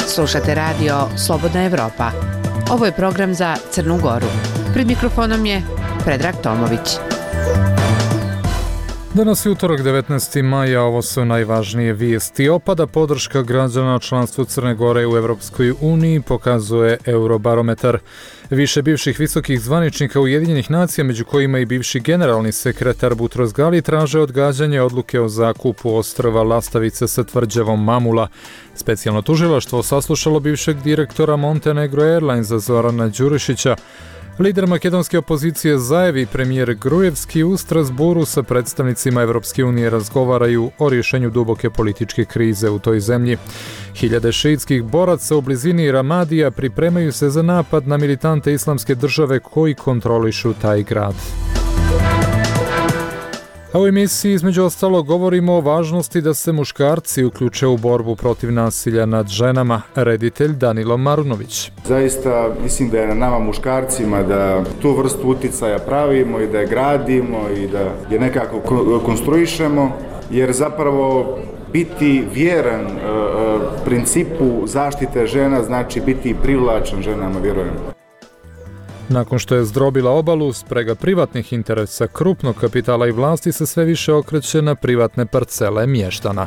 Slušate radio Slobodna Evropa. Ovo je program za Crnu Goru. Pred mikrofonom je Predrag Tomović. Danas je utorak 19. maja, ovo su najvažnije vijesti. Opada podrška građana članstvu Crne Gore u Evropskoj uniji, pokazuje Eurobarometar. Više bivših visokih zvaničnika Ujedinjenih nacija, među kojima i bivši generalni sekretar Butros Gali, traže odgađanje odluke o zakupu ostrva Lastavice sa tvrđavom Mamula. Specijalno tužilaštvo saslušalo bivšeg direktora Montenegro Airlinesa Zorana Đurišića. Lider makedonske opozicije Zaev i premijer Grujevski u Strasburu sa predstavnicima Evropske unije razgovaraju o rješenju duboke političke krize u toj zemlji. Hiljade šiitskih boraca u blizini Ramadija pripremaju se za napad na militante Islamske države koji kontrolišu taj grad. A u emisiji između ostalo govorimo o važnosti da se muškarci uključe u borbu protiv nasilja nad ženama. Reditelj Danilo Marunović. Zaista mislim da je na nama muškarcima da tu vrstu uticaja pravimo i da je gradimo i da je nekako konstruišemo, jer zapravo biti vjeran principu zaštite žena znači biti privlačan ženama, vjerujem. Nakon što je zdrobila obalu, sprega privatnih interesa, krupnog kapitala i vlasti se sve više okreće na privatne parcele mještana.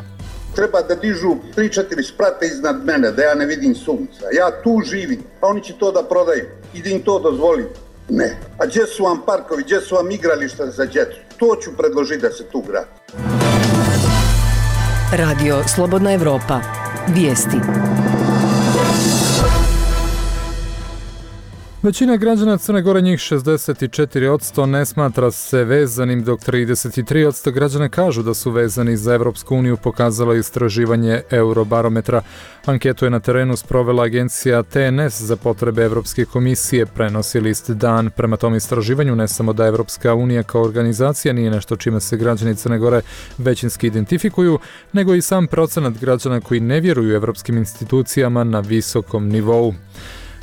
Treba da dižu 3-4 sprata iznad mene, da ja ne vidim sunca. Ja tu živim, a oni će to da prodaju i da im to dozvoli. Ne. A gdje su vam parkovi, gdje su vam igrališta za djecu? To ću predložiti da se tu gradi. Radio Slobodna Evropa. Vijesti. Većina građana Crne Gore, njih 64%, ne smatra se vezanim, dok 33% građana kažu da su vezani za Evropsku uniju, pokazalo istraživanje Eurobarometra. Anketu je na terenu sprovela agencija TNS za potrebe Evropske komisije, prenosi list Dan. Prema tom istraživanju ne samo da Evropska unija kao organizacija nije nešto čime se građani Crne Gore većinski identifikuju, nego i sam procenat građana koji ne vjeruju evropskim institucijama na visokom nivou.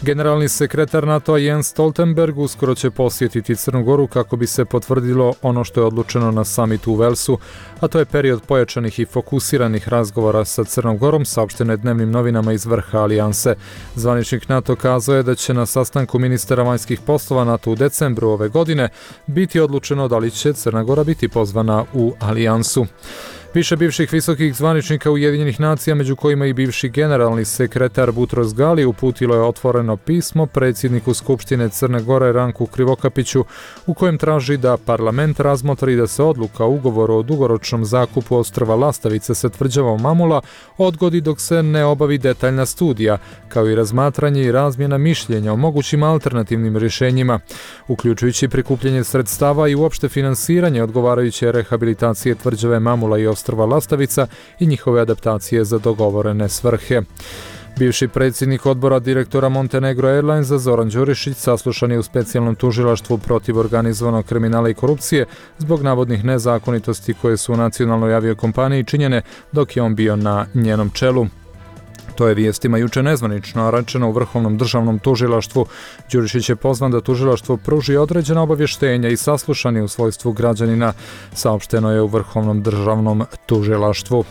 Generalni sekretar NATO-a Jens Stoltenberg uskoro će posjetiti Crnu Goru kako bi se potvrdilo ono što je odlučeno na samitu u Velsu, a to je period pojačanih i fokusiranih razgovora sa Crnom Gorom, saopšteno je dnevnim novinama iz vrha alijanse. Zvaničnik NATO kazao je da će na sastanku ministara vanjskih poslova NATO u decembru ove godine biti odlučeno da li će Crna Gora biti pozvana u alijansu. Više bivših visokih zvaničnika Ujedinjenih nacija, među kojima i bivši generalni sekretar Butros Gali, uputilo je otvoreno pismo predsjedniku Skupštine Crne Gore Ranku Krivokapiću, u kojem traži da parlament razmotri da se odluka o ugovoru o dugoročnom zakupu ostrva Lastavice sa tvrđavom Mamula odgodi dok se ne obavi detaljna studija, kao i razmatranje i razmjena mišljenja o mogućim alternativnim rješenjima, uključujući prikupljanje sredstava i uopšte finansiranje odgovarajuće rehabilitacije tvrđave Mamula i ostrva Lastavica i njihove adaptacije za dogovorene svrhe. Bivši predsjednik odbora direktora Montenegro Airlinesa Zoran Đurišić saslušan je u specijalnom tužilaštvu protiv organizovanog kriminala i korupcije zbog navodnih nezakonitosti koje su u nacionalnoj aviokompaniji činjene dok je on bio na njenom čelu. To je vijestima juče nezvanično rečeno u Vrhovnom državnom tužilaštvu. Đurišić je pozvan da tužilaštvo pruži određena obavještenja i saslušan je u svojstvu građanina, saopšteno je u Vrhovnom državnom tužilaštvu.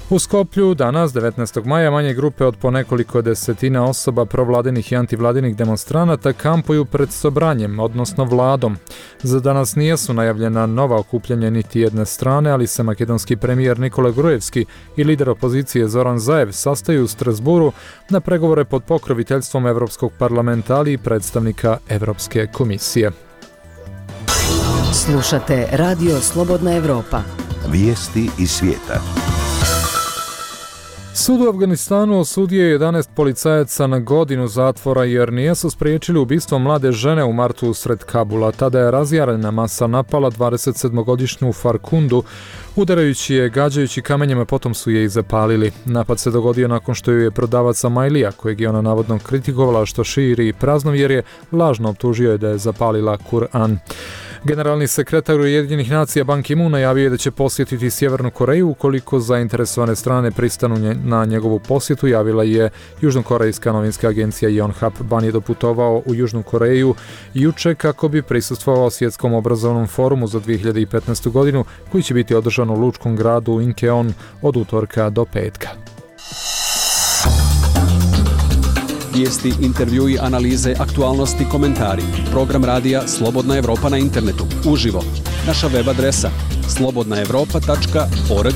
U Skoplju danas, 19. maja, manje grupe od po nekoliko desetina osoba provladinih i antivladinih demonstranata kampuju pred Sobranjem, odnosno vladom. Za danas nijesu najavljena nova okupljanja niti jedne strane, ali se makedonski premijer Nikola Grujevski i lider opozicije Zoran Zaev sastaju u Strasburu na pregovore pod pokroviteljstvom Evropskog parlamenta, ali i predstavnika Evropske komisije. Slušate Radio Slobodna Evropa. Vijesti iz svijeta. Sud u Afganistanu osudio je 11 policajaca na godinu zatvora jer nisu spriječili ubistvo mlade žene u martu usred Kabula. Tada je razjarena masa napala 27-godišnju Farkundu, udarajući je, gađajući kamenjima, potom su je i zapalili. Napad se dogodio nakon što ju je prodavac Amailija, kojeg je ona navodno kritikovala što širi praznovjerje, lažno optužio je da je zapalila Kur'an. Generalni sekretar Ujedinjenih nacija Ban Ki-moon najavio je da će posjetiti Sjevernu Koreju ukoliko zainteresovane strane pristanu na njegovu posjetu, javila je južnokorejska novinska agencija Yonhap. Ban je doputovao u Južnu Koreju juče kako bi prisustvovao svjetskom obrazovnom forumu za 2015. godinu koji će biti održan u lučkom gradu Incheon od utorka do petka. Vijesti, intervjui, analize, aktualnosti, komentari. Program radija Slobodna Evropa na internetu. Uživo. Naša web adresa slobodnaevropa.org.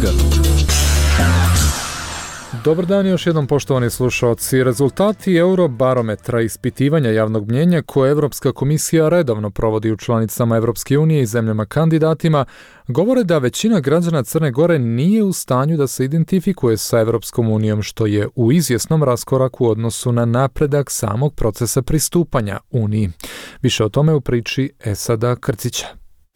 Dobar dan još jednom, poštovani slušalci. Rezultati Eurobarometra ispitivanja javnog mnjenja koje Europska komisija redovno provodi u članicama Europske unije i zemljama kandidatima govore da većina građana Crne Gore nije u stanju da se identifikuje sa Europskom unijom, što je u izvjesnom raskoraku u odnosu na napredak samog procesa pristupanja Uniji. Više o tome u priči Esada Krcića.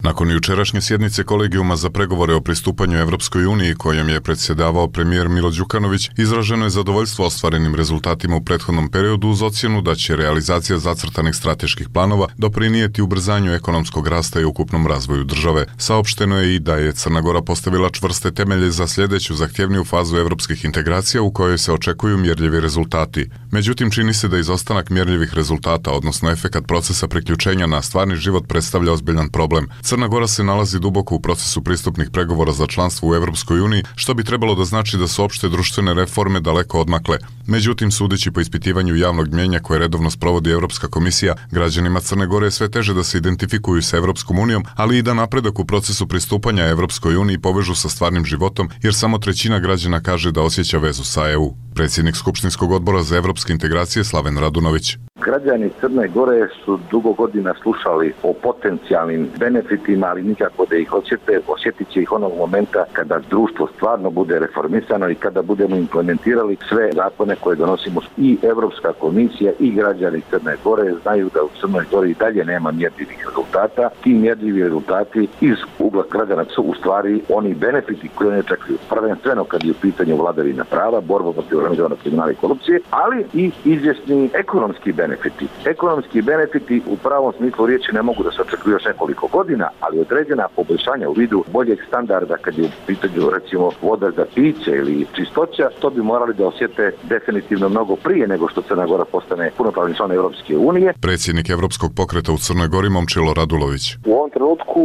Nakon jučerašnje sjednice kolegijuma za pregovore o pristupanju Evropskoj uniji kojom je predsjedavao premijer Milo Đukanović, izraženo je zadovoljstvo ostvarenim rezultatima u prethodnom periodu uz ocjenu da će realizacija zacrtanih strateških planova doprinijeti ubrzanju ekonomskog rasta i ukupnom razvoju države. Saopšteno je i da je Crna Gora postavila čvrste temelje za sljedeću zahtjevniju fazu evropskih integracija u kojoj se očekuju mjerljivi rezultati. Međutim, čini se da izostanak mjerljivih rezultata, odnosno efekat procesa priključenja na stvarni život, predstavlja ozbiljan problem. Crna Gora se nalazi duboko u procesu pristupnih pregovora za članstvo u Europskoj uniji, što bi trebalo da znači da su opšte društvene reforme daleko odmakle. Međutim, sudeći po ispitivanju javnog mnjenja koje redovno sprovodi Europska komisija, građanima Crne Gore je sve teže da se identifikuju sa Europskom unijom, ali i da napredak u procesu pristupanja Europskoj uniji povežu sa stvarnim životom, jer samo trećina građana kaže da osjeća vezu sa EU. Predsjednik Skupštinskog odbora za evropske integracije Slaven Radunović. Građani Crne Gore su dugo godina slušali o potencijalnim benefitima, ali nikako da ih osjete. Osjetit će ih onog momenta kada društvo stvarno bude reformisano i kada budemo implementirali sve zakone koje donosimo. I Evropska komisija i građani Crne Gore znaju da u Crnoj Gori i dalje nema mjerljivih rezultata. Ti mjerljivi rezultati iz ugla građana su u stvari oni benefiti koji oni očekuju. Prvenstveno kad je u pitanju vladavina prava, borba protiv organizovanog kriminala i korupcije, ali i izvjesni ekonomski benefiti. Ekonomski benefiti u pravom smislu riječi ne mogu da se očekuju još nekoliko godina, ali određena poboljšanja u vidu boljeg standarda kad je u pitanju recimo voda za piće ili čistoća, to bi morali da osjete definitivno mnogo prije nego što Crna Gora postane punopravni član Europske unije. Predsjednik Evropskog pokreta u Crnoj Gori Momčilo Radulović. U ovom trenutku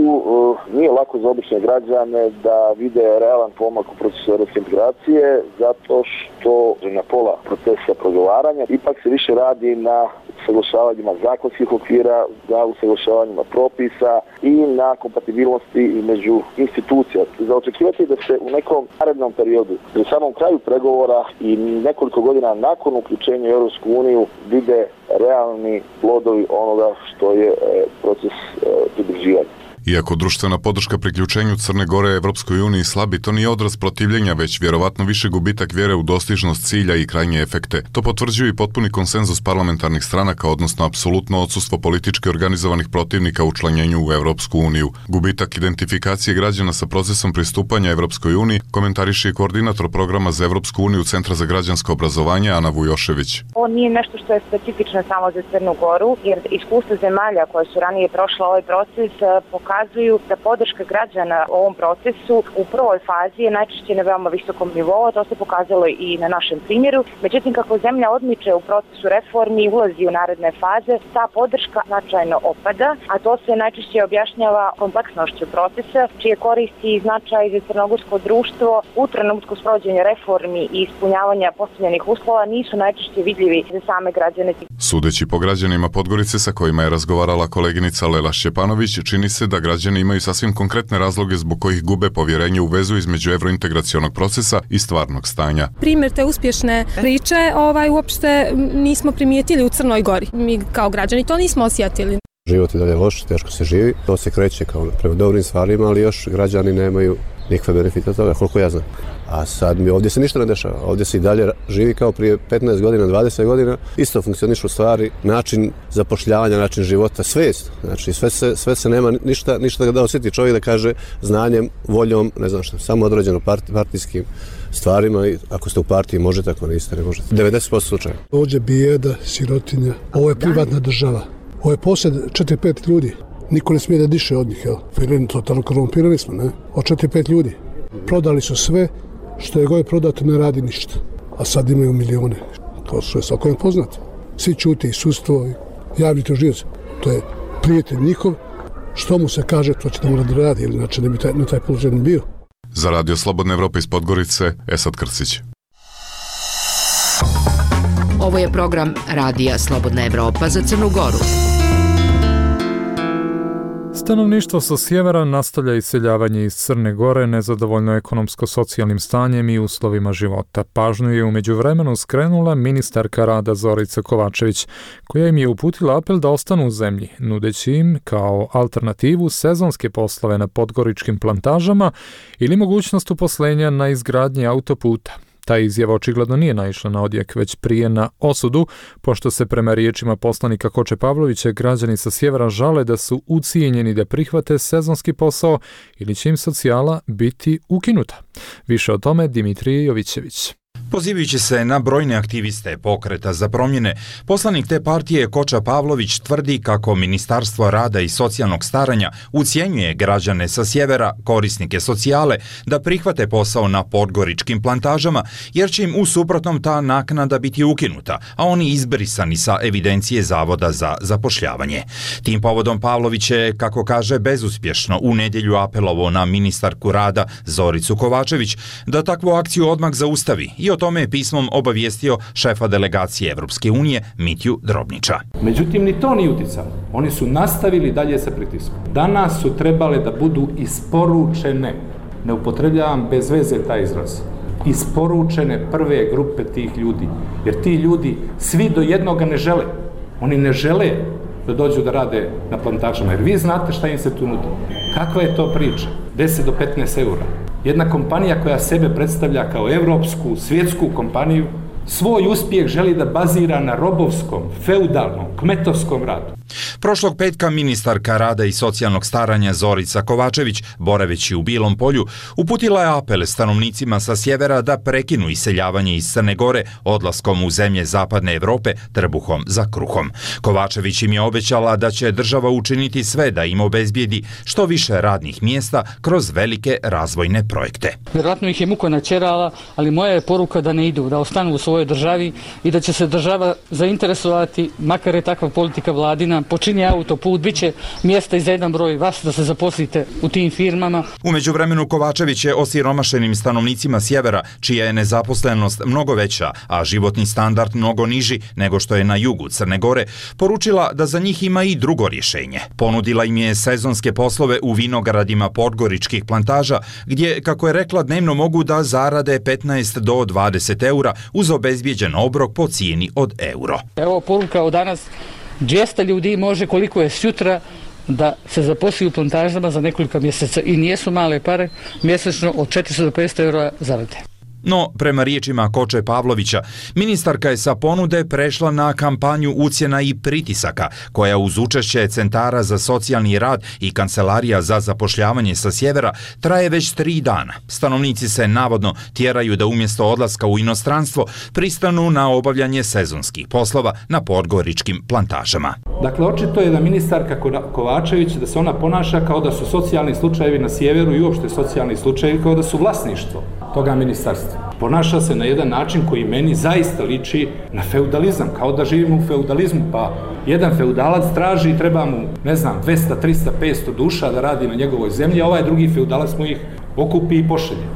nije lako za obične građane da vide realan pomak u procesu europske integracije, zato što na pola procesa pregovaranja ipak se više radi na usaglašavanjima zakonskih okvira, na usaglašavanjima propisa i na kompatibilnosti između institucija. Za očekivati da se u nekom narednom periodu, pri samom kraju pregovora i nekoliko godina nakon uključenja u Europsku uniju vide realni plodovi onoga što je proces pridruživanja. Iako društvena podrška priključenju Crne Gore Evropskoj uniji slabi, to nije odraz protivljenja, već vjerovatno više gubitak vjere u dostižnost cilja i krajnje efekte. To potvrđuje i potpuni konsenzus parlamentarnih stranaka, odnosno apsolutno odsustvo politički organizovanih protivnika u učlanjenju u Evropsku uniju. Gubitak identifikacije građana sa procesom pristupanja Evropskoj uniji komentariše i koordinator programa za Evropsku uniju Centra za građansko obrazovanje Ana Vujošević. Ovo nije nešto što je specifično samo za Crnu Goru, jer iskustvo zemalja koje su ranije prošle ovaj proces pokazuju da podrška građana u ovom procesu u prvoj fazi je najčešće na veoma visokom nivou, to se pokazalo i na našem primjeru. Međutim, kako zemlja odmiče u procesu reformi i ulazi u naredne faze, ta podrška značajno opada, a to se najčešće objašnjava kompleksnošću procesa, čije koristi i značaj za crnogorsko društvo u trenutku sprovođenja reformi i ispunjavanja postavljenih uslova nisu najčešće vidljivi za same građane. Sudeći po građanima Podgorice sa kojima je razgovarala koleginica Lela Šćepanović, čini se da građani imaju sasvim konkretne razloge zbog kojih gube povjerenje u vezu između evrointegracionog procesa i stvarnog stanja. Primjer te uspješne priče uopšte nismo primijetili u Crnoj Gori. Mi kao građani to nismo osjetili. Život je dalje loš, teško se živi, to se kreće kao prema dobrim stvarima, ali još građani nemaju nikakve benefite od toga, koliko ja znam. A sad ovdje se ništa ne dešava, ovdje se i dalje živi kao prije 15 godina, 20 godina, isto funkcionišu stvari, način zapošljavanja, način života, sve isto. Znači sve se nema ništa da osjeti čovjek da kaže znanjem, voljom, ne znam što, samo određeno partijskim stvarima i ako ste u partiji možete, ako niste, ne možete. 90% slučaja. Ovdje bijeda, sirotinja, ovo je privatna država, ovo je posjed 4-5 ljudi. Niko ne smije da diše od njih, jel? Fireni totalno korumpirani smo, ne? Od 4-5 ljudi. Prodali su sve, što je god prodato ne radi ništa. A sad imaju milione. To što je svako je poznato. Svi čuti i sudstvo, i javni tužioci. To je prijatelj njihov. Što mu se kaže, to će da mora da radi, ili znači ne bi na taj položaj ne bio. Za Radio Slobodna Evropa iz Podgorice, Esad Krsić. Ovo je program Radija Slobodna Evropa za Crnu Goru. Stanovništvo sa sjevera nastavlja iseljavanje iz Crne Gore nezadovoljno ekonomsko-socijalnim stanjem i uslovima života. Pažnju je u međuvremenu skrenula ministarka rada Zorica Kovačević, koja im je uputila apel da ostanu u zemlji, nudeći im kao alternativu sezonske poslove na podgoričkim plantažama ili mogućnost uposlenja na izgradnji autoputa. Ta izjava očigledno nije naišla na odjek, već prije na osudu, pošto se prema riječima poslanika Koče Pavlovića građani sa sjevera žale da su ucijenjeni da prihvate sezonski posao ili će im socijala biti ukinuta. Više o tome Dimitrije Jovićević. Pozivajući se na brojne aktiviste Pokreta za promjene, poslanik te partije Koča Pavlović tvrdi kako Ministarstvo rada i socijalnog staranja ucijenjuje građane sa sjevera, korisnike socijale, da prihvate posao na podgoričkim plantažama, jer će im u suprotnom ta naknada biti ukinuta, a oni izbrisani sa evidencije Zavoda za zapošljavanje. Tim povodom Pavlović je, kako kaže, bezuspješno u nedjelju apelovao na ministarku rada Zoricu Kovačević da takvu akciju odmah zaustavi i o tome je pismom obavijestio šefa delegacije Evropske unije Mitju Drobnića. Međutim, ni to nije uticalo. Oni su nastavili dalje sa pritiskom. Danas su trebale da budu isporučene, ne upotrebljavam bez veze taj izraz, isporučene prve grupe tih ljudi. Jer ti ljudi svi do jednoga ne žele. Oni ne žele da dođu da rade na plantažama. Jer vi znate šta im se tu nudi. Kakva je to priča? 10 do 15 eura. Jedna kompanija koja sebe predstavlja kao evropsku, svjetsku kompaniju, svoj uspjeh želi da bazira na robovskom, feudalnom, kmetovskom radu. Prošlog petka ministarka rada i socijalnog staranja Zorica Kovačević, boraveći u Bilom Polju, uputila je apel stanovnicima sa sjevera da prekinu iseljavanje iz Crne Gore odlaskom u zemlje zapadne Evrope trbuhom za kruhom. Kovačević im je obećala da će država učiniti sve da im obezbijedi što više radnih mjesta kroz velike razvojne projekte. Vjerojatno ih je muka načerala, ali moja je poruka da ne idu, da ostanu u svojoj državi i da će se država zainteresovati, makar je takva politika vladina, počini autoput, bit će mjesta i za jedan broj vas da se zaposlite u tim firmama. U međuvremenu Kovačević je osiromašenim stanovnicima sjevera, čija je nezaposlenost mnogo veća, a životni standard mnogo niži nego što je na jugu Crne Gore, poručila da za njih ima i drugo rješenje. Ponudila im je sezonske poslove u vinogradima podgoričkih plantaža, gdje, kako je rekla, dnevno mogu da zarade 15 do 20 eura uz obezbijeđen obrok po cijeni od euro. Evo poruka od danas. 200 ljudi može koliko je sutra da se zaposli u plantažama za nekoliko mjeseca i nijesu male pare, mjesečno od 400 do 500 eura zarade. No, prema riječima Koče Pavlovića, ministarka je sa ponude prešla na kampanju ucjena i pritisaka, koja uz učešće centara za socijalni rad i kancelarija za zapošljavanje sa sjevera traje već 3 dana. Stanovnici se navodno tjeraju da umjesto odlaska u inostranstvo pristanu na obavljanje sezonskih poslova na podgoričkim plantažama. Dakle, očito je da ministarka Kovačević, da se ona ponaša kao da su socijalni slučajevi na sjeveru i uopšte socijalni slučajevi kao da su vlasništvo toga ministarstva. Ponaša se na jedan način koji meni zaista liči na feudalizam, kao da živimo u feudalizmu, pa jedan feudalac traži i treba mu, 200, 300, 500 duša da radi na njegovoj zemlji, a ovaj drugi feudalac mu ih okupi i pošalje.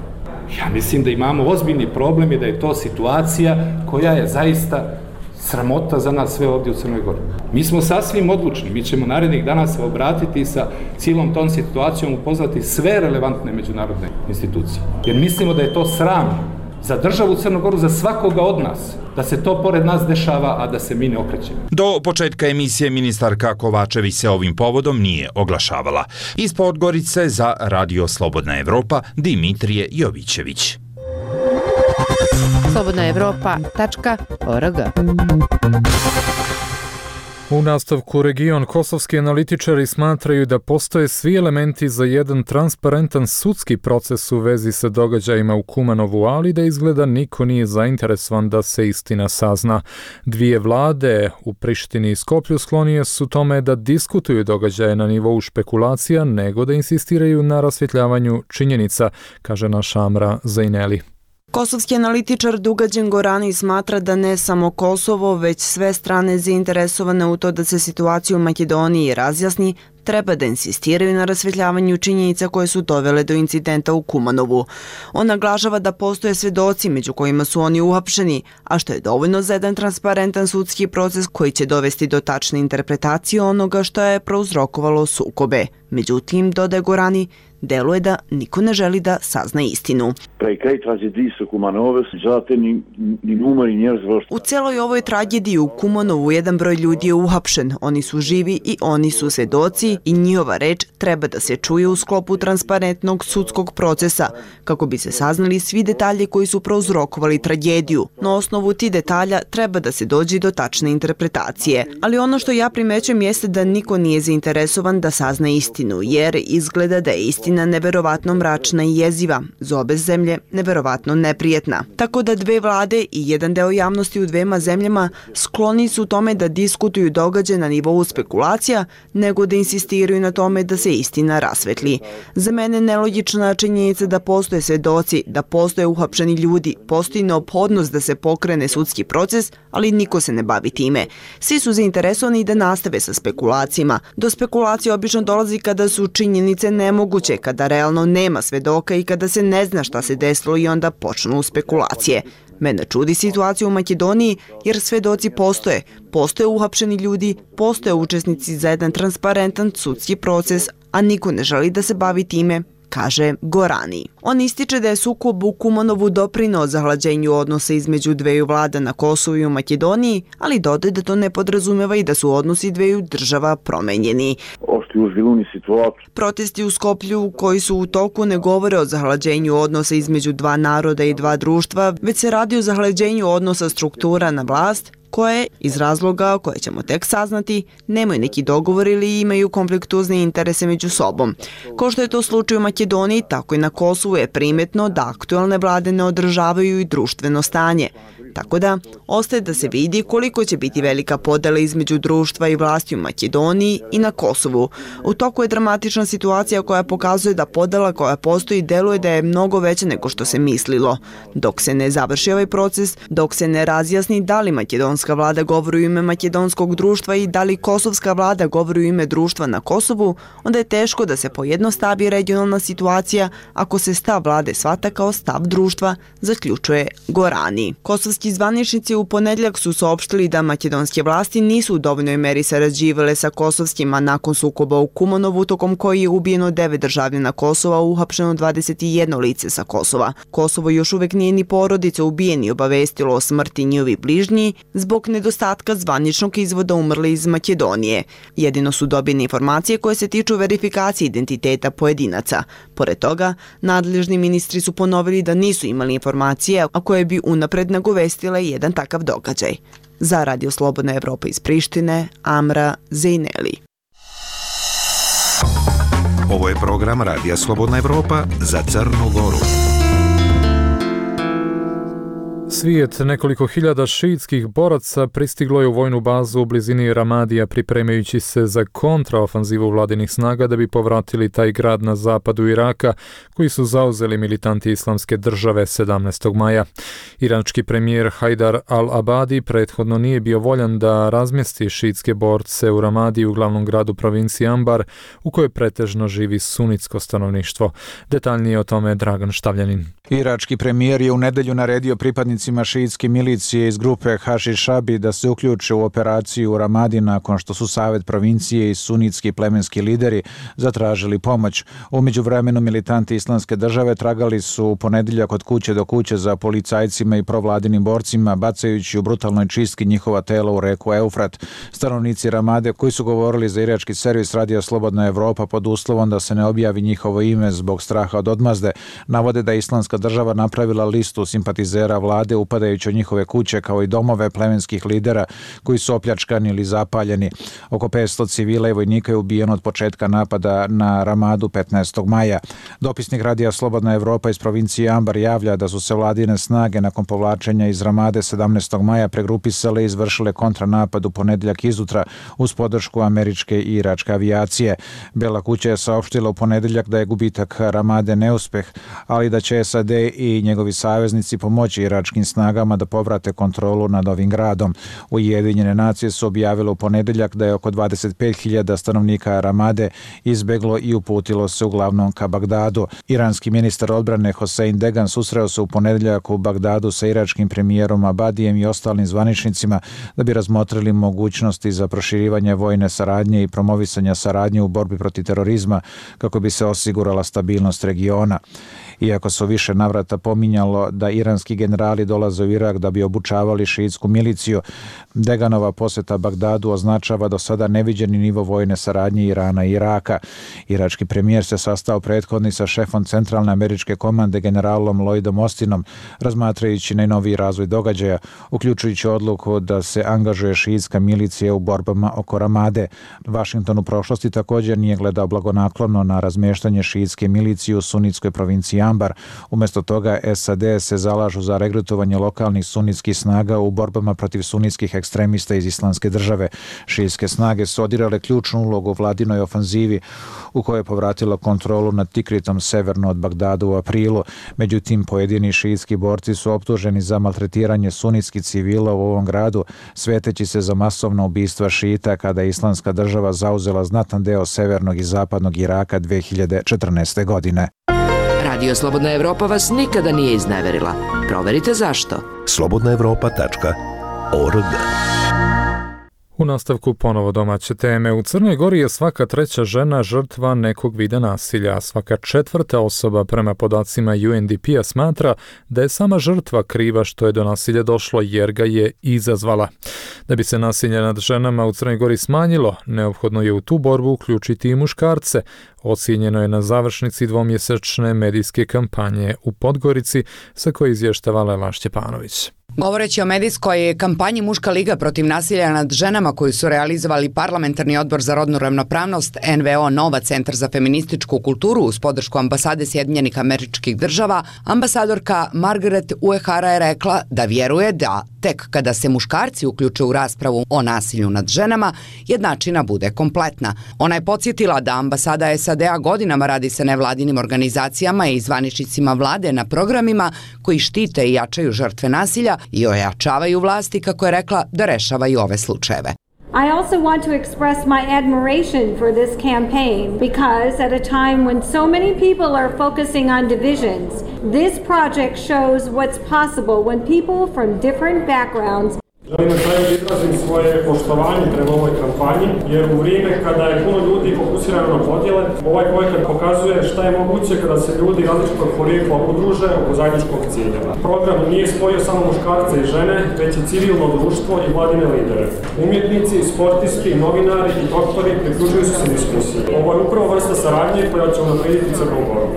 Ja mislim da imamo ozbiljni problem i da je to situacija koja je zaista sramota za nas sve ovdje u Crnoj Gori. Mi smo sasvim odlučni, mi ćemo narednih dana se obratiti sa cijelom tom situacijom, upoznati sve relevantne međunarodne institucije. Jer mislimo da je to sramno za državu Crnu Goru, za svakoga od nas, da se to pored nas dešava, a da se mi ne okrećemo. Do početka emisije ministarka Kovačević se ovim povodom nije oglašavala. Iz Podgorice za Radio Slobodna Evropa, Dimitrije Jovićević. slobodnaevropa.org. U nastavku region kosovski analitičari smatraju da postoje svi elementi za jedan transparentan sudski proces u vezi sa događajima u Kumanovu, ali da izgleda niko nije zainteresovan da se istina sazna. Dvije vlade u Prištini i Skoplju sklonije su tome da diskutuju događaje na nivou špekulacija, nego da insistiraju na rasvjetljavanju činjenica, kaže naša Amra Zajneli. Kosovski analitičar Dugađen Gorani smatra da ne samo Kosovo, već sve strane zainteresovane u to da se situacija u Makedoniji razjasni, treba da insistiraju na rasvjetljavanju činjenica koje su dovele do incidenta u Kumanovu. On naglašava da postoje svedoci među kojima su oni uhapšeni, a što je dovoljno za jedan transparentan sudski proces koji će dovesti do tačne interpretacije onoga što je prouzrokovalo sukobe. Međutim, dodaje Gorani, deluje da niko ne želi da sazna istinu. U celoj ovoj tragediji u Kumanovu jedan broj ljudi je uhapšen. Oni su živi i oni su svedoci i njihova reč treba da se čuje u sklopu transparentnog sudskog procesa kako bi se saznali svi detalji koji su prouzrokovali tragediju. Na osnovu tih detalja treba da se dođe do tačne interpretacije. Ali ono što ja primećujem jeste da niko nije zainteresovan da sazna istinu, jer izgleda da je istina neverovatno mračna i jeziva, za obe zemlje neverovatno neprijetna. Tako da dve vlade i jedan deo javnosti u dvema zemljama skloni su tome da diskutuju događaje na nivou spekulacija, nego da insistiraju na tome da se istina rasvetli. Za mene nelogična činjenica da postoje svedoci, da postoje uhapšeni ljudi, postoji neophodnost da se pokrene sudski proces, ali niko se ne bavi time. Svi su zainteresovani da nastave sa spekulacijama. Do spekulacije obično dolazi kada su činjenice nemoguće, kada realno nema svedoka i kada se ne zna šta se desilo i onda počnu spekulacije. Mene čudi situacija u Makedoniji jer svedoci postoje. Postoje uhapšeni ljudi, postoje učesnici za jedan transparentan sudski proces, a niko ne želi da se bavi time, kaže Gorani. On ističe da je sukob u Kumanovu doprineo zahlađenju odnosa između dveju vlada na Kosovu i u Makedoniji, ali dodaje da to ne podrazumeva i da su odnosi dveju država promenjeni. Protesti u Skoplju koji su u toku ne govore o zahlađenju odnosa između dva naroda i dva društva, već se radi o zahlađenju odnosa struktura na vlast, koje, iz razloga koje ćemo tek saznati, nemaju neki dogovor ili imaju konfliktuzne interese među sobom. Ko što je to slučaj u Makedoniji, tako i na Kosovu je primetno da aktualne vlade ne održavaju i društveno stanje. Tako da, ostaje da se vidi koliko će biti velika podela između društva i vlasti u Makedoniji i na Kosovu. U toku je dramatična situacija koja pokazuje da podela koja postoji deluje da je mnogo veća nego što se mislilo. Dok se ne završi ovaj proces, dok se ne razjasni da li makedonska vlada govori u ime makedonskog društva i da li kosovska vlada govori u ime društva na Kosovu, onda je teško da se pojednostavi regionalna situacija ako se stav vlade shvata kao stav društva, zaključuje Gorani. Kosovski zvaničnici u ponedjeljak su saopštili da makedonske vlasti nisu u dovoljnoj meri sarađivale sa kosovskima nakon sukoba u Kumanovu, tokom koji je ubijeno 9 državljana Kosova, uhapšeno 21 lice sa Kosova. Kosovo još uvek nije ni porodice ubijeni obavestilo o smrti njihovi bližnji zbog nedostatka zvaničnog izvoda umrli iz Makedonije. Jedino su dobijene informacije koje se tiču verifikacije identiteta pojedinaca. Pored toga, nadležni ministri su ponovili da nisu imali informacije, a koje bi unapred nagovestile jedan takav događaj. Za Radio Slobodna Evropa iz Prištine, Amra Zajneli. Ovo je program Radija Slobodna Evropa za Crnu Goru. Svijet nekoliko hiljada šiitskih boraca pristiglo je u vojnu bazu u blizini Ramadija pripremajući se za kontraofanzivu vladinih snaga da bi povratili taj grad na zapadu Iraka koji su zauzeli militanti Islamske države 17. maja. Iranski premijer Hajdar al-Abadi prethodno nije bio voljan da razmjesti šiitske borce u Ramadiju, glavnom gradu provincije Ambar, u kojoj pretežno živi sunitsko stanovništvo. Detaljnije o tome Dragan Štavljanin. Irački premijer je u nedelju naredio pripadnicima šiitske milicije iz grupe Hašišabi da se uključe u operaciju u Ramadi nakon što su Savet provincije i sunitski plemenski lideri zatražili pomoć. U međuvremenu militanti Islamske države tragali su u ponedjeljak od kuće do kuće za policajcima i provladinim borcima, bacajući u brutalnoj čistki njihova tela u reku Eufrat. Stanovnici Ramade, koji su govorili za irački servis Radija Slobodna Evropa pod uslovom da se ne objavi njihovo ime zbog straha od odmazde, navode da je Islamska država napravila listu simpatizera vlade Ramade, upadajući u njihove kuće kao i domove plemenskih lidera koji su opljačkani ili zapaljeni. Oko 500 civila i vojnika je ubijeno od početka napada na Ramadu 15. maja. Dopisnik Radija Slobodna Evropa iz provincije Ambar javlja da su se vladine snage nakon povlačenja iz Ramade 17. maja pregrupisale i izvršile kontranapad u ponedeljak izutra uz podršku američke i iračke avijacije. Bela kuća je saopštila u ponedeljak da je gubitak Ramade neuspeh, ali da će SAD i njegovi saveznici pomoći iračkim snagama da povrate kontrolu nad ovim gradom. Ujedinjene nacije su objavile u ponedeljak da je oko 25.000 stanovnika Ramade izbeglo i uputilo se uglavnom ka Bagdadu. Iranski ministar odbrane Hossein Degan susreo se u ponedeljak u Bagdadu sa iračkim premijerom Abadijem i ostalim zvaničnicima da bi razmotrili mogućnosti za proširivanje vojne saradnje i promovisanja saradnje u borbi protiv terorizma kako bi se osigurala stabilnost regiona. Iako se u više navrata pominjalo da iranski generali dolaze u Irak da bi obučavali šiitsku miliciju, Deganova posjeta Bagdadu označava do sada neviđeni nivo vojne saradnje Irana i Iraka. Irački premijer se sastao prethodni sa šefom centralne američke komande generalom Lloydom Austinom, razmatrajući najnoviji razvoj događaja, uključujući odluku da se angažuje šiitska milicija u borbama oko Ramade. Washington u prošlosti također nije gledao blagonaklono na razmještanje šiitske milicije u sunitskoj provinciji Ambar. Umjesto toga SAD se zalažu za regrutovanje lokalnih sunitskih snaga u borbama protiv sunitskih ekstremista iz Islamske države. Šijitske snage su odigrale ključnu ulogu u vladinoj ofanzivi u kojoj je povratila kontrolu nad Tikritom severno od Bagdada u aprilu. Međutim, pojedini šijitski borci su optuženi za maltretiranje sunitskih civila u ovom gradu, sveteći se za masovna ubistva šijita kada je Islamska država zauzela znatan deo severnog i zapadnog Iraka 2014. godine. Radio Slobodna Evropa vas nikada nije izneverila. Proverite zašto. slobodnaevropa.org. U nastavku ponovo domaće teme. U Crnoj Gori je svaka treća žena žrtva nekog vida nasilja. Svaka četvrta osoba prema podacima UNDP-a smatra da je sama žrtva kriva što je do nasilja došlo jer ga je izazvala. Da bi se nasilje nad ženama u Crnoj Gori smanjilo, neophodno je u tu borbu uključiti i muškarce. Ocijenjeno je na završnici dvomjesečne medijske kampanje u Podgorici, sa koje izvještava Lela Šćepanović. Govoreći o medijskoj kampanji Muška liga protiv nasilja nad ženama koju su realizovali Parlamentarni odbor za rodnu ravnopravnost, NVO Nova, Centar za feminističku kulturu uz podršku ambasade Sjedinjenih Američkih Država, ambasadorka Margaret Uehara je rekla da vjeruje da tek kada se muškarci uključe u raspravu o nasilju nad ženama, jednačina bude kompletna. Ona je podsjetila da ambasada SAD-a godinama radi sa nevladinim organizacijama i zvaničnicima vlade na programima koji štite i jačaju žrtve nasilja i ojačavaju vlasti, kako je rekla, da rešavaju ove slučajeve. I also want to express my admiration for this campaign because at a time when so many people are focusing on divisions, this project shows what's possible when people from different backgrounds. Želim na kraju izrazim svoje poštovanje prema ovoj kampanji, jer u vrijeme kada je puno ljudi fokusirano na podjele, ovaj projekat pokazuje šta je moguće kada se ljudi različitog porijekla udruže oko zajedničkog cilja. Program nije spojio samo muškarce i žene, već i civilno društvo i vladine lidere. Umjetnici, sportisti, novinari i doktori priključuju se diskusiji. Ovo je upravo vrsta saradnje koja će unaprijediti Crnu Goru.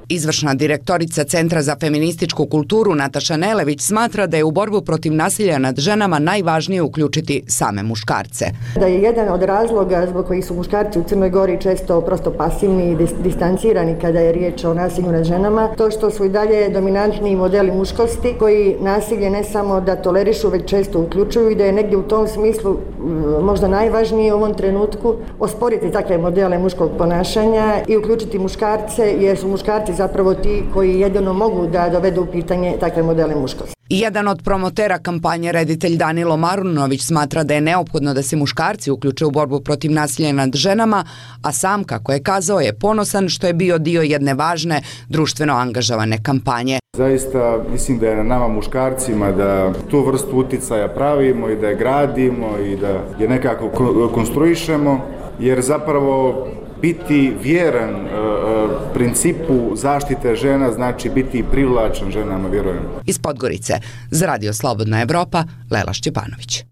Izvršna direktorica Centra za feminističku kulturu Nataša Nelević smatra da je u borbu protiv nasilja nad ženama najvažnije uključiti same muškarce. Da je jedan od razloga zbog kojih su muškarci u Crnoj Gori često prosto pasivni i distancirani kada je riječ o nasilju nad ženama, to što su i dalje dominantni modeli muškosti koji nasilje ne samo da tolerišu, već često uključuju i da je negdje u tom smislu možda najvažnije u ovom trenutku osporiti takve modele muškog ponašanja i uključiti muškarce, jer su muškarci zapravo ti koji jedino mogu da dovedu u pitanje takve modele muškosti. Jedan od promotera kampanje, reditelj Danilo Marunović, smatra da je neophodno da se muškarci uključe u borbu protiv nasilja nad ženama, a sam, kako je kazao, je ponosan što je bio dio jedne važne društveno angažovane kampanje. Zaista mislim da je na nama muškarcima da tu vrstu uticaja pravimo i da je gradimo i da je nekako konstruišemo, jer zapravo biti vjeran principu zaštite žena znači biti privlačan ženama, vjerujem. Iz Podgorice, za Radio Slobodna Evropa, Lela Šćepanović.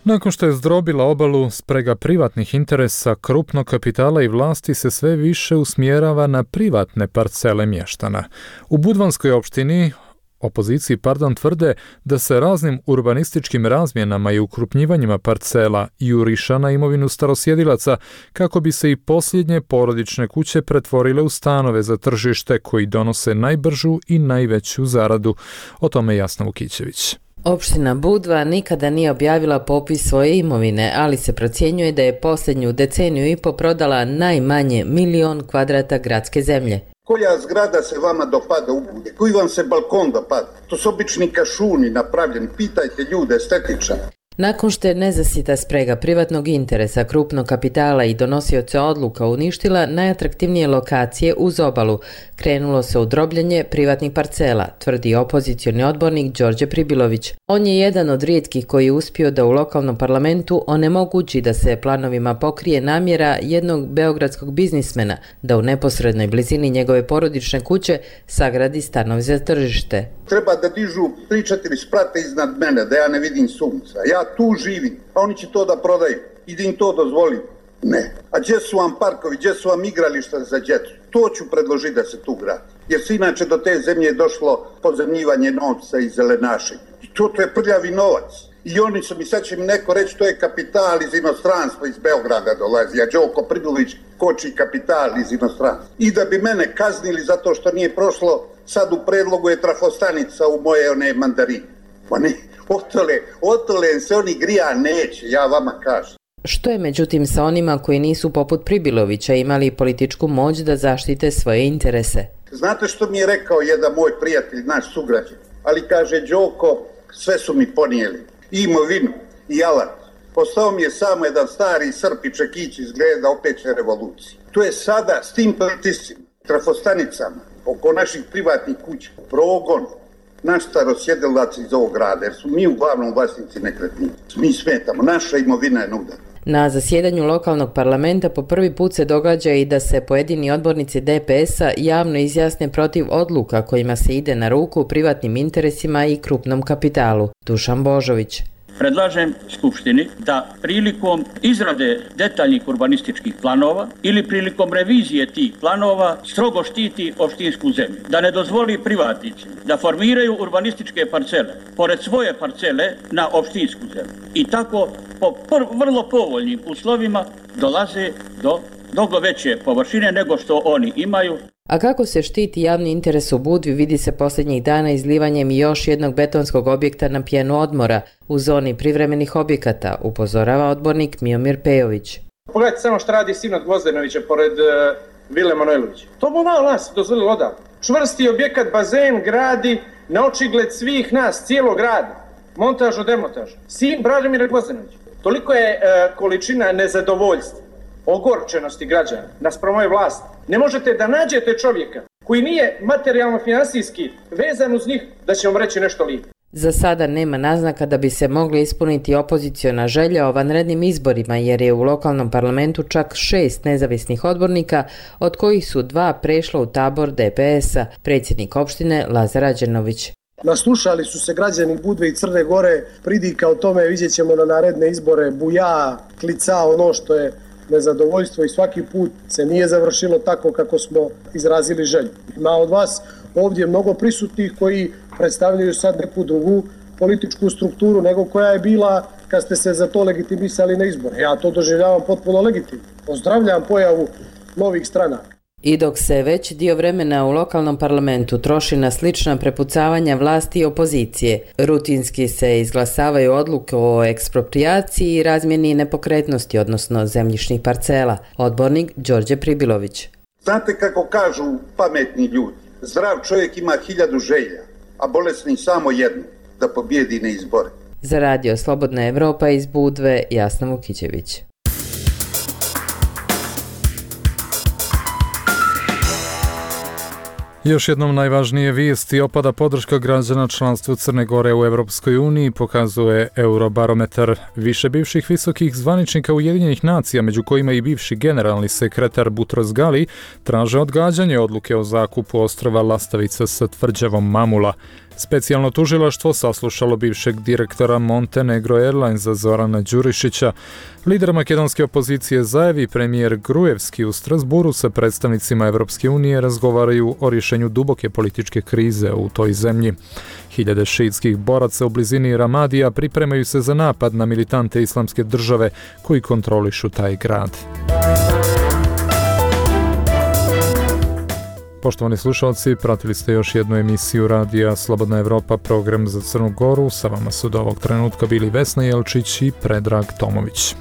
Nakon što je zdrobila obalu, sprega privatnih interesa, krupnog kapitala i vlasti se sve više usmjerava na privatne parcele mještana. U Budvanskoj opštini opoziciji tvrde da se raznim urbanističkim razmjenama i ukrupnjivanjima parcela juriša na imovinu starosjedilaca kako bi se i posljednje porodične kuće pretvorile u stanove za tržište koji donose najbržu i najveću zaradu. O tome Jasna Vukićević. Opština Budva nikada nije objavila popis svoje imovine, ali se procjenjuje da je posljednju deceniju i po prodala najmanje 1.000.000 kvadrata gradske zemlje. Koja zgrada se vama dopada u Budvi? Koji vam se balkon dopada? To su obični kašuni napravljeni. Pitajte ljude, estetičan. Nakon što je nezasita sprega privatnog interesa, krupnog kapitala i donosioca odluka uništila najatraktivnije lokacije uz obalu, krenulo se u drobljenje privatnih parcela, tvrdi opozicioni odbornik Đorđe Pribilović. On je jedan od rijetkih koji je uspio da u lokalnom parlamentu onemogući da se planovima pokrije namjera jednog beogradskog biznismena da u neposrednoj blizini njegove porodične kuće sagradi stanov za tržište. Treba da dižu 3-4 sprate iznad mene, da ja ne vidim sunca. Ja tu živim, a oni će to da prodaju i da im to dozvolim. Ne. A gdje su vam parkovi, gdje su vam igrališta za djecu? To ću predložiti da se tu gradi. Jer se inače do te zemlje došlo pozemljivanje novca i zelenašenje. I to je prljavi novac. I oni su mi, sad će mi neko reći, to je kapital iz inostranstva, iz Beograda dolazi. A Đoko Pribilović koči kapital iz inostranstva. I da bi mene kaznili zato što nije prošlo, sad u predlogu je trafostanica u moje one mandarine. Pa ne, otole se oni grija neće, ja vama kažem. Što je međutim sa onima koji nisu poput Pribilovića imali političku moć da zaštite svoje interese? Znate što mi je rekao jedan moj prijatelj, naš sugrađan? Ali kaže, Đoko, sve su mi ponijeli. I imovinu, i alat. Ostao mi je samo jedan stari Srp i Čekić izgleda opet će revoluciji. To je sada s tim pritiscima, trafostanicama, oko naših privatnih kuća, progon, naš starosjedilac iz ovog grada, jer su mi uglavnom vlasnici nekretnina. Mi smetamo, naša imovina je na udaru. Na zasjedanju lokalnog parlamenta po prvi put se događa i da se pojedini odbornici DPS-a javno izjasne protiv odluka kojima se ide na ruku privatnim interesima i krupnom kapitalu. Dušan Božović. Predlažem Skupštini da prilikom izrade detaljnih urbanističkih planova ili prilikom revizije tih planova strogo štiti opštinsku zemlju. Da ne dozvoli privatnicima da formiraju urbanističke parcele pored svoje parcele na opštinsku zemlju. I tako po vrlo povoljnim uslovima dolaze do mnogo veće površine nego što oni imaju. A kako se štiti javni interes u Budvi vidi se posljednjih dana izlivanjem još jednog betonskog objekta na pjenu odmora u zoni privremenih objekata, upozorava odbornik Miomir Pejović. Pogledajte samo što radi sin od Gvozdenovića pored Vile Manojlovića. To bi malo nas dozvolilo odavno. Čvrsti objekat, bazen gradi na očigled svih nas, cijelog grada. Montažu, demontažu. Sin Branimira Gvozdenovića. Toliko je količina nezadovoljstva, ogorčenosti građana naspram ove vlasti. Ne možete da nađete čovjeka koji nije materijalno-finansijski vezan uz njih da će vam reći nešto lijepo. Za sada nema naznaka da bi se mogli ispuniti opoziciona želja o vanrednim izborima, jer je u lokalnom parlamentu čak 6 nezavisnih odbornika, od kojih su 2 prešla u tabor DPS-a, predsjednik opštine Lazar Ađenović. Naslušali su se građani Budve i Crne Gore, pridika o tome vidjet ćemo na naredne izbore, buja, klica, ono što je nezadovoljstvo i svaki put se nije završilo tako kako smo izrazili želju. Ima od vas ovdje mnogo prisutnih koji predstavljaju sad neku drugu političku strukturu nego koja je bila kad ste se za to legitimisali na izbore. Ja to doživljavam potpuno legitimno. Pozdravljam pojavu novih stranaka. I dok se već dio vremena u lokalnom parlamentu troši na slična prepucavanja vlasti i opozicije, rutinski se izglasavaju odluke o eksproprijaciji i razmjeni nepokretnosti, odnosno zemljišnih parcela. Odbornik Đorđe Pribilović. Znate kako kažu pametni ljudi, zdrav čovjek ima 1000 želja, a bolesni samo jednu, da pobjedi na izbore. Za radio Slobodna Evropa iz Budve, Jasna Vukićević. Još jednom najvažnije vijesti: opada podrška građana članstvu Crne Gore u Europskoj uniji, pokazuje Eurobarometar. Više bivših visokih zvaničnika Ujedinjenih nacija, među kojima i bivši generalni sekretar Butros Gali, traže odgađanje odluke o zakupu ostrva Lastavica sa tvrđavom Mamula. Specijalno tužilaštvo saslušalo bivšeg direktora Montenegro Airlinesa Zorana Đurišića. Lider makedonske opozicije Zaev i premijer Grujevski u Strasburu sa predstavnicima Evropske unije razgovaraju o rješenju duboke političke krize u toj zemlji. Hiljade šiitskih boraca u blizini Ramadija pripremaju se za napad na militante Islamske države koji kontrolišu taj grad. Poštovani slušalci, pratili ste još jednu emisiju radija Slobodna Evropa, program za Crnu Goru. Sa vama su do ovog trenutka bili Vesna Jelčić i Predrag Tomović.